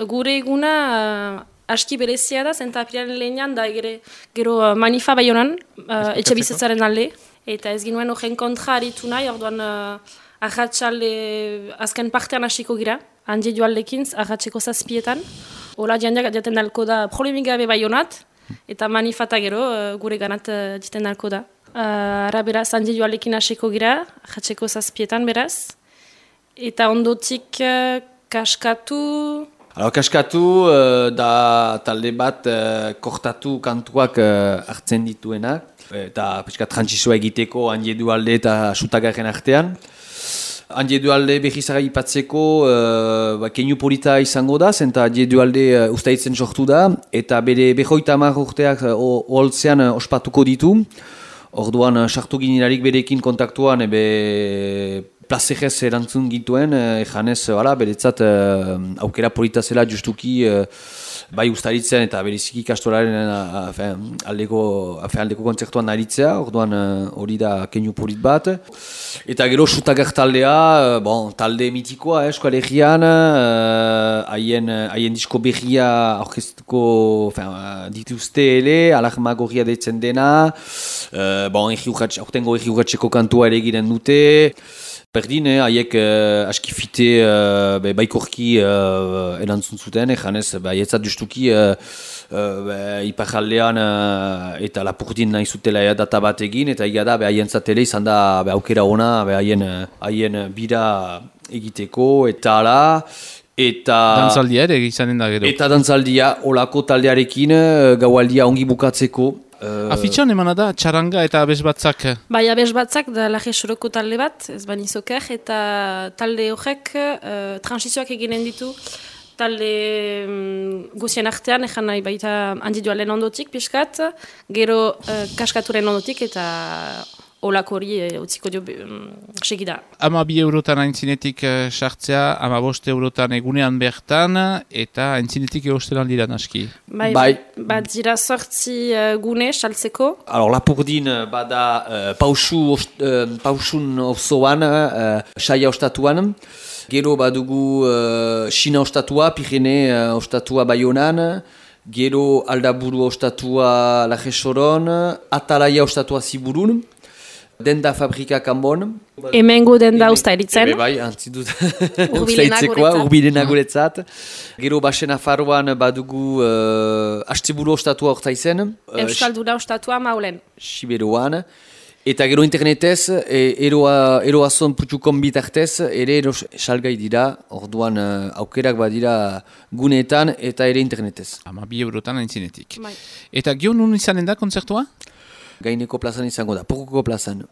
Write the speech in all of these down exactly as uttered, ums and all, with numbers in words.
gure eguna uh, aski berezia da, zenta apiraren lehenan da gere, gero uh, manifa bai honan, uh, etxe bizitzaren alde, eta ez ginuen horren kontra aritu nahi, orduan uh, ahatsalde azken partean hasiko gira, handi joaldekin, ahatseko zazpietan, hola jandak jaten dalko da problemik gabe bai honat, eta manifata gero uh, gure ganat uh, jaten dalko da. Uh, ara beraz, handi joaldekin hasiko gira, ahatseko zazpietan beraz, eta ondotik uh, kaskatu... Alors, kaskatu uh, da talde bat uh, kortatu kantuak uh, hartzen dituenak, eta peska trantsizioa egiteko handiedu alde eta sutagarren artean. Handiedu alde berrizara ipatzeko uh, ba, keinu polita izango da, zenta handiedu alde uh, ustaitzen sortu da, eta bere behoita hamar urteak uh, oholtzean uh, ospatuko ditu. Orduan, uh, sartu ginerarik berekin kontaktuan, ebe plazerez erantzun gintuen, ejanez, uh, beretzat uh, aukera polita zela justuki uh, bai ustaritzen eta bereziki kastoraren uh, aldeko, aldeko kontzertuan aritzea, orduan hori uh, da keinu polit bat. Eta gero sutagar taldea, uh, bon, talde mitikoa, eh, Euskal Herrian, haien uh, disko berria aurkeztuko uh, dituzte ele, alarma gorria deitzen dena, uh, bon, aurtengo erri urratxeko kantua ere egiten dute, Berdin, haiek eh, aski fite eh, be, baikorki eh, erantzun zuten, ejanez, haietzat justuki eh, eh, iparaldean eh, eta lapurdin nahi zutela data bat egin, eta egia da, haientzat ere izan da be, aukera ona, haien haien bira egiteko, eta ala, eta... Dantzaldia ere izanen da gero. Eta dantzaldia, olako taldearekin, gaualdia ongi bukatzeko. Uh, Afitxan emana da, txaranga eta abesbatzak? Bai, abesbatzak da Laje Soroko talde bat, ez bani zoker, eta talde horrek uh, transizioak eginen ditu, talde um, guzien artean, ezan nahi baita handi dualen ondotik, piskat, gero uh, kaskaturen ondotik, eta olako hori e, utziko dio um, segida. Ama bi eurotan aintzinetik sartzea, ama bost eurotan egunean bertan, eta aintzinetik egostelan dira naski. Bai, bai. Bat dira sortzi uh, gune saltzeko. Alors, lapurdin bada uh, pausu, uh, pausun osoan, uh, saia ostatuan, gero badugu uh, China ostatua, Pirene uh, ostatua Baionan, gero Aldaburu ostatua Laje Soron, Atalaia ostatua Ziburun, Denda fabrika kanbon. Hemengo denda usta eritzen. Ebe bai, antzidut ustaitzekoa, urbilena guretzat. Gero Basen Afaroan badugu uh, Asteburu ostatua ortaizen. Euskalduna ostatua Maulen. Siberuan. Eta gero internetez, e, eroa, eroazon putxukon bitartez, ere ero salgai dira, orduan uh, aukerak badira guneetan eta ere internetez. Ama bi eurotan aintzinetik. Bai. Eta gio nun izanen da kontzertua? Gaineko plazan izango da, porkoko plazan.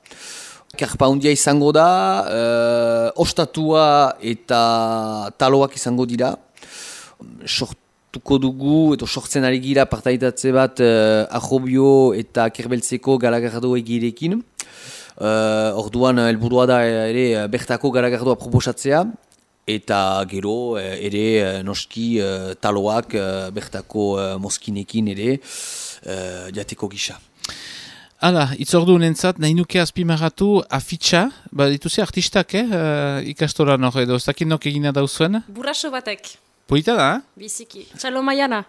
Karpa hundia izango da, uh, ostatua eta taloak izango dira. Sortuko dugu, eta sortzen ari gira partaitatze bat uh, Ajobio eta Kerbeltzeko garagardo egirekin. Uh, orduan, helburua da ere bertako garagardoa proposatzea. Eta gero ere noski uh, taloak uh, bertako uh, mozkinekin ere uh, jateko gisa. Hala, itzordu nentzat, nahi nuke azpimarratu afitxa, ba dituzi artistak, eh, uh, ikastoran hor edo, ez dakit nok egina dauzuen? Burraso batek. Polita da, eh? Biziki. Txalo Maiana.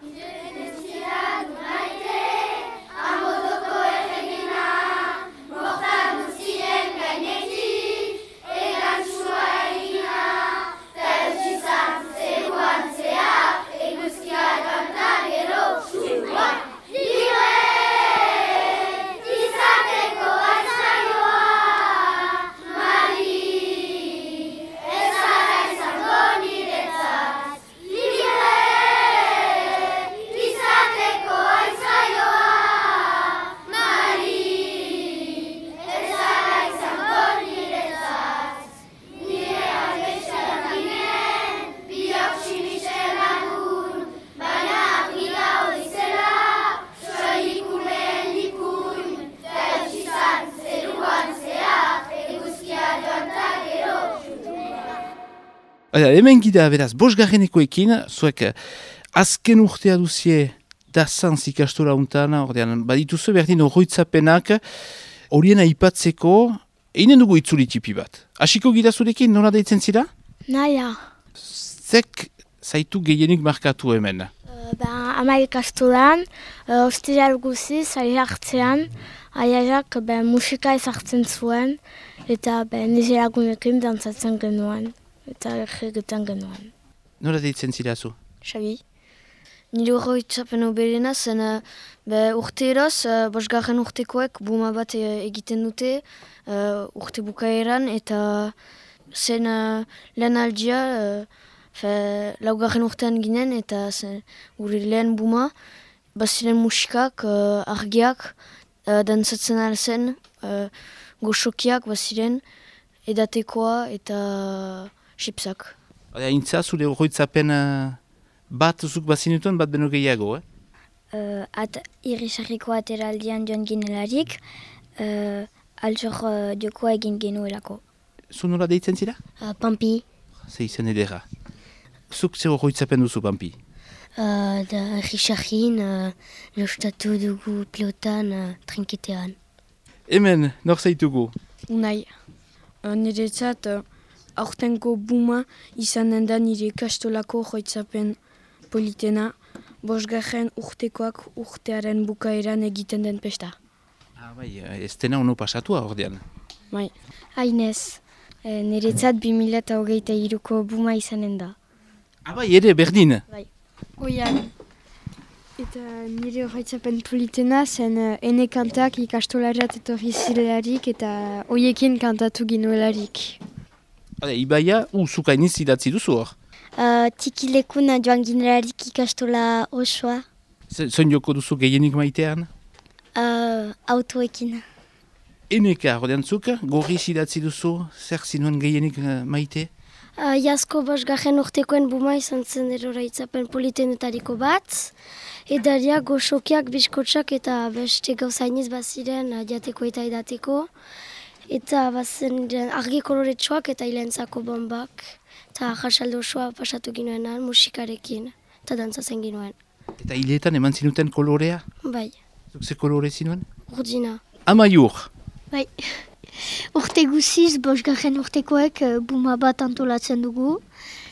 Baina, hemen gida, beraz, bosgarrenekoekin, zuek azken urtea duzie dazantz ikastora untan, ordean, badituzu berdin horroitzapenak, horien aipatzeko, einen dugu itzuli tipi bat. Hasiko gida zurekin, nola deitzen zira? Naia. Zek zaitu gehienik markatu hemen? Uh, ba, ama ikastolan, uh, ostiral guziz, aiartzean, aiarak ben, musika ezartzen zuen, eta ben, nire lagunekin dantzatzen genuen, eta egiten genuen. Nola deitzen zira zu? Xabi. Nire horretzapen oberena zen uh, urte eraz, uh, bosgarren urtekoek buma bat uh, egiten dute uh, urte bukaeran, eta zen uh, lehen aldia, uh, fe, laugarren urtean ginen, eta zen gure lehen buma, baziren musikak, uh, argiak, uh, dantzatzen alzen, uh, goxokiak baziren, edatekoa eta xipsak. Intza, zure horretzapen uh, bat zuk bazinutuen, bat beno gehiago, eh? Uh, at irrisarriko ateraldian joan ginelarik, uh, altxor uh, jokoa egin genuelako. Zu nola deitzen zira? Uh, Pampi. Ze izen edera. Zuk zer horretzapen duzu, Pampi? Uh, da irrisarrin, uh, lostatu dugu pilotan uh, trinketean. Hemen, nor zaitugu? Unai, uh, niretzat uh, aurtenko buma izanen da nire ikastolako joitzapen politena, bosgarren urtekoak urtearen bukaeran egiten den pesta. Ah, bai, ez dena ono pasatua ordean. Bai. Hainez, e, niretzat bi mila eta hogeita hiruko buma izanen da. Ah, bai, ere, berdin. Bai. Oian. Eta nire joitzapen politena zen uh, ene kantak ikastolarat etorri zirelarik eta hoiekin kantatu ginuelarik. Hale, Ibaia, u, zuk hainiz idatzi duzu hor. Uh, tikilekun joan ginelarik ikastola osoa. Zoin joko duzu gehienik maitean? Uh, autoekin. Eneka, ordean zuk, gorriz idatzi duzu, zer zinuen gehienik uh, maite? Uh, Jasko bosgarren urtekoen buma izan zen erora itzapen politenetariko bat. Edaria goxokiak, biskotsak eta beste gauzainiz baziren uh, jateko eta edateko. Eta bazen argi koloretsuak eta hilentzako bombak. Eta jasaldo osoa pasatu ginoenan musikarekin eta dantzatzen ginoen. Eta hiletan eman zinuten kolorea? Bai, Zuk ze kolore zinuen? urdina. Amaiur. Bai. Urte guziz, bosgarren urtekoek uh, buma bat antolatzen dugu.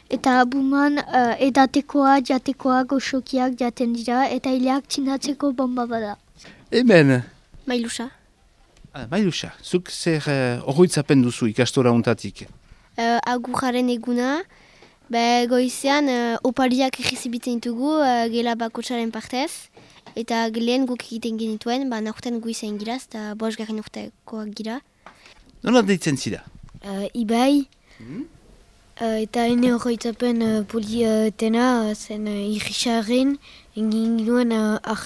Eta buman uh, edatekoa, jatekoa, goxokiak jaten dira eta hileak txinatzeko bomba bada. Hemen. Mailusa. Ah, Mailusa, zuk zer uh, horretzapen duzu ikastora untatik? Uh, agurraren eguna, be, goizean uh, opariak egizibitzen ditugu uh, gela bakotsaren partez. Eta gelen guk egiten genituen, ba, naurten goizean gira, eta bosgarren urtekoak gira. Nola deitzen zira? Uh, Ibai, Hmm? Uh, eta ene horretzapen uh, politena uh, zen uh, irrisaren, egin ginoen uh,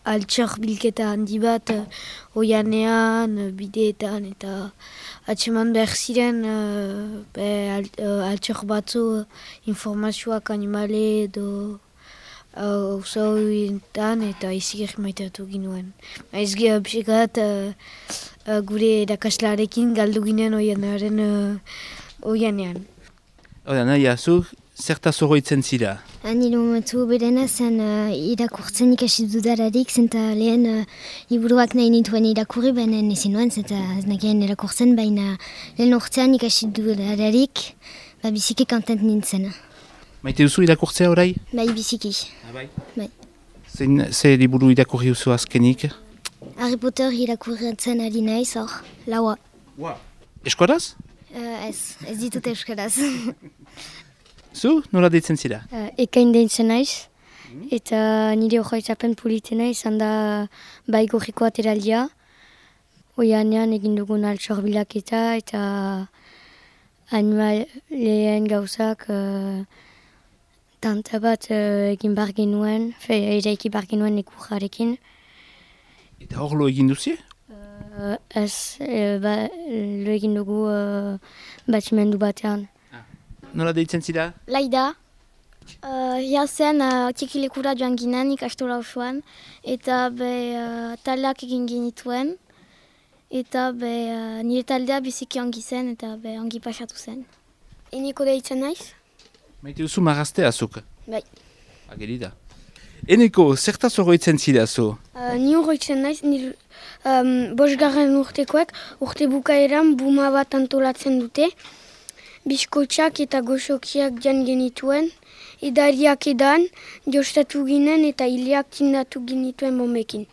altxor bilketa handi bat uh, oianean, uh, bideetan, eta atseman behar ziren uh, be, al, uh, altxor batzu uh, informazioak animale edo Ozoetan uh, eta izik maitatu ginuen. Ez gira pixekat uh, uh, gure edakaslarekin galdu ginen oianaren uh, oianean. Hora, naia, zuk zertaz horretzen zira? Nire momentu berena zen uh, irakurtzen ikasi dudararik, zenta lehen uh, liburuak nahi nituen irakurri, baina ezin nuen, zenta ez nakien irakurtzen, baina lehen urtean ikasi dudararik, ba, biziki kontent nintzen. Maite duzu irakurtzea orai? Bai, biziki. Ah, bai? Bai. Zein, ze liburu irakurri duzu azkenik? Harry Potter irakurtzen ari naiz, hor, laua. Wow. Eskoraz? Uh, ez, ez ditut euskaraz. Zu, nola deitzen zira? Uh, ekain deitzen naiz, eta nire horretzapen politena izan da bai gorriko ateraldia. Oianean egin dugun altxor bilaketa eta animaleen gauzak uh, tanta bat uh, egin bar genuen, fe, eraiki bar genuen ikurrarekin. Eta hor lo egin duzie? Uh, ez, uh, ba, lo egin dugu uh, batimendu batean. Nola deitzen zira? Laida. Uh, Jazen uh, tikilekura joan ginen ikastola osoan, eta be uh, taldeak egin genituen, eta be uh, nire taldea biziki ongi zen, eta be ongi pasatu zen. Eneko deitzen naiz? Maite duzu marraztea zuk? Bai. Ageri da. Eneko, zertaz horretzen zira zu? Uh, ni horretzen naiz, nire um, bosgarren urtekoek urte bukaeran buma bat antolatzen dute, biskotxak eta goxokiak jan genituen, edariak edan, jostatu ginen eta hileak tindatu genituen momekin.